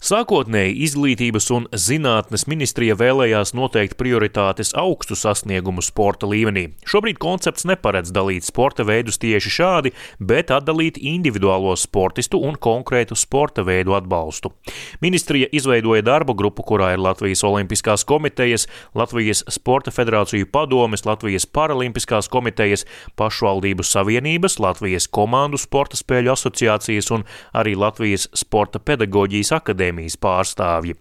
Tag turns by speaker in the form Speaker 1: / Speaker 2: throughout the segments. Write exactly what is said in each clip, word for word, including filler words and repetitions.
Speaker 1: Sākotnēji Izglītības un zinātnes ministrija vēlējās noteikt prioritātes augstu sasniegumu sporta līmenī. Šobrīd koncepts neparedz dalīt sporta veidus tieši šādi, bet atdalīt individuālo sportistu un konkrētu sporta veidu atbalstu. Ministrija izveidoja darba grupu, kurā ir Latvijas Olimpiskās komitejas, Latvijas Sporta federāciju padomes, Latvijas Paralimpiskās komitejas, pašvaldību savienības, Latvijas komandu sporta spēļu asociācijas un arī Latvijas Sporta pedagoģijas akadēmijas pārstāvji.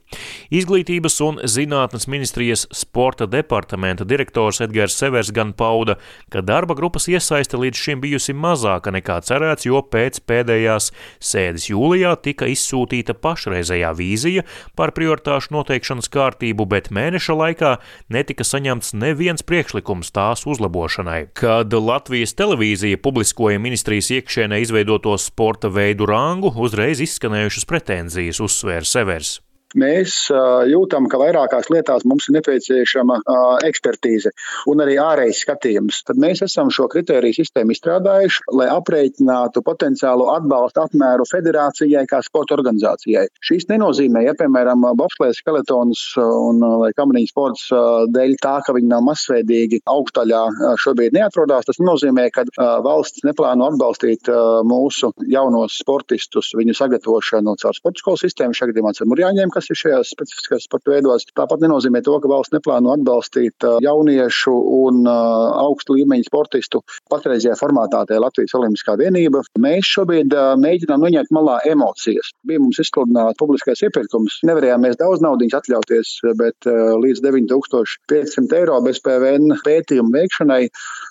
Speaker 1: Izglītības un zinātnes ministrijas sporta departamenta direktors Edgars Severs gan pauda, ka darba grupas iesaiste līdz šim bijusi mazāka nekā cerēts, jo pēc pēdējās sēdes jūlijā tika izsūtīta pašreizējā vīzija par prioritāšu noteikšanas kārtību, bet mēneša laikā netika saņemts neviens priekšlikums tās uzlabošanai. Kad Latvijas televīzija publiskoja ministrijas iekšienē izveidoto sporta veidu rangu, uzreiz izskanējušas pretenzijas, uzsvēra Severs.
Speaker 2: Mēs uh, jūtam, ka vairākās lietās mums ir nepieciešama uh, ekspertīze un arī ārējs skatījums. Tad mēs esam šo kritēriju sistēmu izstrādājuši, lai aprēķinātu potenciālo atbalstu apmēru federācijai kā sporta organizācijai. Šīs nenozīmē, ja, piemēram, bobslējas, skeletons un vai kamariņu sports uh, dēļ tā, ka viņi nav masveidīgi augstaļā uh, šobrīd neatrodās. Tas nozīmē, ka uh, valsts neplāno atbalstīt uh, mūsu jaunos sportistus, viņu sagatavošanu caur sporta skolu sistēmu, šajā gadījumā ar murjāņiem, kas ir šajās specifiskās sporta veidos. Tāpat nenozīmē to, ka valsts neplāno atbalstīt jauniešu un augstu līmeņu sportistu patreizajā formātā tā Latvijas Olimpiskā vienība. Mēs šobrīd mēģinām noņemt malā emocijas. Bija mums izsludināts publiskais iepirkums. Nevarējām mēs daudz naudiņas atļauties, bet līdz deviņi tūkstoši piecsimt eiro bez P V N pētījumu veikšanai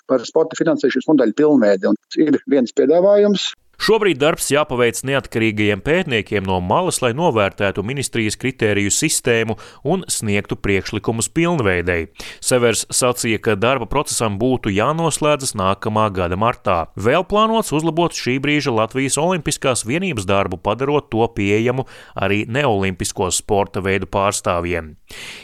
Speaker 2: par sporta finansēšanas modeļu pilnveidi. Un ir viens piedāvājums.
Speaker 1: Šobrīd darbs jāpaveic neatkarīgajiem pētniekiem no malas, lai novērtētu ministrijas kritēriju sistēmu un sniegtu priekšlikumus pilnveidei. Severs sacīja, ka darba procesam būtu jānoslēdzas nākamā gada martā. Vēl plānots uzlabot šī brīža Latvijas Olimpiskās vienības darbu, padarot to pieejamu arī neolimpisko sporta veidu pārstāvjiem.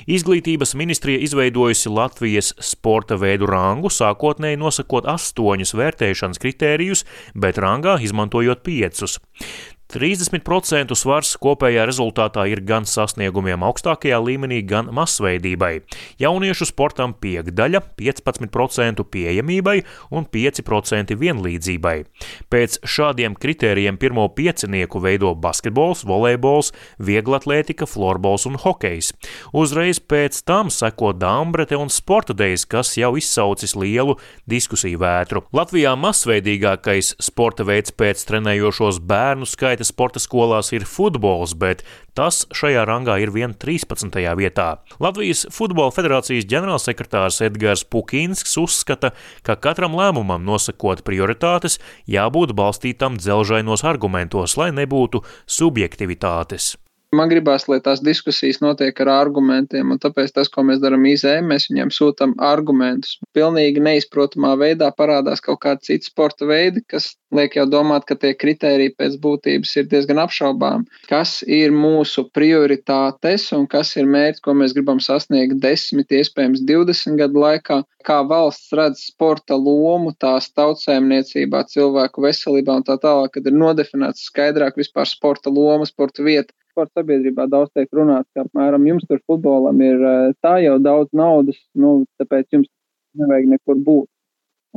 Speaker 1: Izglītības ministrija izveidojusi Latvijas sporta veidu rangu, sākotnēji nosakot astoņus vērtēšanas kritērijus, bet rangā izmantojot izmantojot piecus. trīsdesmit procentu svars kopējā rezultātā ir gan sasniegumiem augstākajā līmenī, gan masveidībai. Jauniešu sportam piekdaļa, piecpadsmit procentu pieejamībai un pieci procenti vienlīdzībai. Pēc šādiem kritērijiem pirmo piecinieku veido basketbols, volejbols, vieglatlētika, florbols un hokejs. Uzreiz pēc tam seko dambrete un sporta dejas, kas jau izsaucis lielu diskusiju vētru. Latvijā masveidīgākais sporta veids pēc trenējošos bērnu skaita sporta skolās ir futbols, bet tas šajā rangā ir vien trīspadsmitajā vietā. Latvijas Futbola federācijas ģenerālsekretārs Edgars Pukinsks uzskata, ka katram lēmumam nosakot prioritātes jābūt balstītam dzelžainos argumentos, lai nebūtu subjektivitātes.
Speaker 3: Man gribās, lai tās diskusijas notiek ar argumentiem, un tāpēc tas, ko mēs darām I Z M, mēs viņiem sūtam argumentus. Pilnīgi neizprotamā veidā parādās kaut kādi citi sporta veidi, kas liek jau domāt, ka tie kritēriji pēc būtības ir diezgan apšaubām. Kas ir mūsu prioritātes un kas ir mērķis, ko mēs gribam sasniegt desmit, iespējams divdesmit gadu laikā, kā valsts redz sporta lomu tās tautsēmniecībā, cilvēku veselībā un tā tālāk, kad ir nodefinēts skaidrāk vispār sporta loma, sporta vieta. Sporta sabiedrībā daudz tiek runāts, ka apmēram jums tur futbolam ir tā jau daudz naudas, nu, tāpēc jums nevajag nekur būt.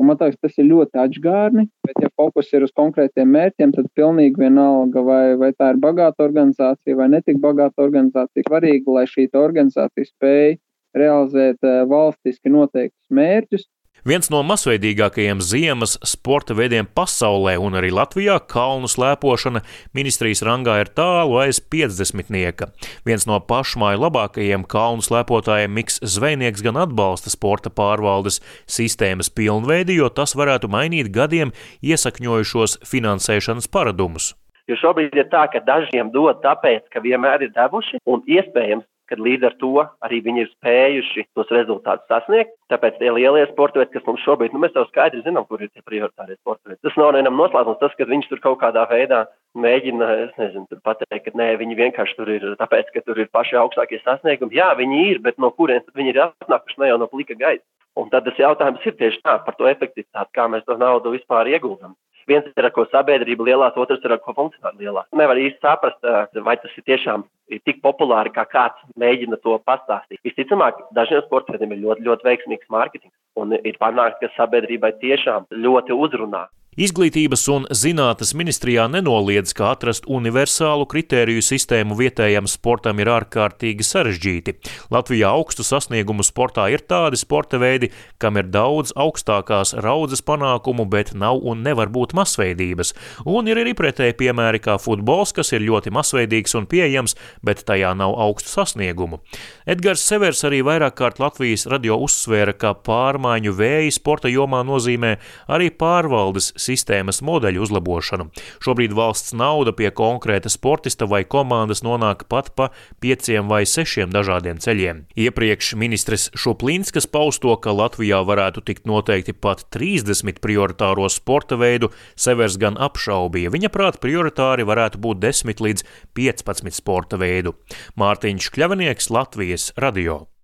Speaker 3: Un man liekas, tas ir ļoti atžgārni, bet ja fokus ir uz konkrētiem mērķiem, tad pilnīgi vienalga, vai, vai tā ir bagāta organizācija vai netik bagāta organizācija. Svarīgi, lai šī organizācija spēj realizēt valstiski noteiktus mērķus.
Speaker 1: Viens no masveidīgākajiem ziemas sporta veidiem pasaulē un arī Latvijā kalnu slēpošana ministrijas rangā ir tālu aiz piecdesmitnieka. Viens no pašmāju labākajiem kalnu slēpotājiem Miks Zvejnieks gan atbalsta sporta pārvaldes sistēmas pilnveidi, jo tas varētu mainīt gadiem iesakņojušos finansēšanas paradumus.
Speaker 4: Jo šobrīd ir tā, ka dažiem dod tāpēc, ka vienmēr ir devuši un iespējams, kad līdz ar to arī viņi ir spējuši tos rezultātus sasniegt. Tāpēc tie lielie sporta veidi, kas mums šobrīd, nu mēs jau skaidri zinām, kur ir tie prioritārie sporta veidi. Tas nav vienam noslēpums, tas, ka viņš tur kaut kādā veidā mēģina, es nezinu, tur pateikt, ka nē, viņi vienkārši tur ir, tāpēc, ka tur ir paši augstākie sasniegumi. Jā, viņi ir, bet no kurienes viņi ir atnākuši, ne jau no plika gaisa. Un tad tas jautājums ir tieši tā par to efektivitāti, kā mēs to naudu vispār ieguldam. Viens ir, ar ko sabiedrība lielās, otrs ir, ar ko funkcionāli lielās. Nevar īsti saprast, vai tas ir tiešām ir tik populāri, kā kāds mēģina to pastāstīt. Visticamāk, dažiem sporta veidiem ir ļoti, ļoti veiksmīgs mārketings un ir panākt, ka sabiedrībai tiešām ļoti uzrunā.
Speaker 1: Izglītības un zinātnes ministrijā nenoliedz, ka atrast universālu kritēriju sistēmu vietējam sportam ir ārkārtīgi sarežģīti. Latvijā augstu sasniegumu sportā ir tādi sporta veidi, kam ir daudz augstākās raudzes panākumu, bet nav un nevar būt masveidības. Un ir arī pretēji piemēri kā futbols, kas ir ļoti masveidīgs un pieejams, bet tajā nav augstu sasniegumu. Edgars Severs arī vairāk kārt Latvijas radio uzsvēra, ka pārmaiņu vēji sporta jomā nozīmē arī pārvaldes sistēmas modeļu uzlabošanu. Šobrīd valsts nauda pie konkrēta sportista vai komandas nonāk pat pa pieciem vai sešiem dažādiem ceļiem. Iepriekš ministres Šuplinskas pausto, ka Latvijā varētu tikt noteikti pat trīsdesmit prioritāro sporta veidu, Severs gan apšaubīja. Viņa prāt prioritāri varētu būt desmit līdz piecpadsmit sporta veidu. Mārtiņš Kļavinieks, Latvijas radio.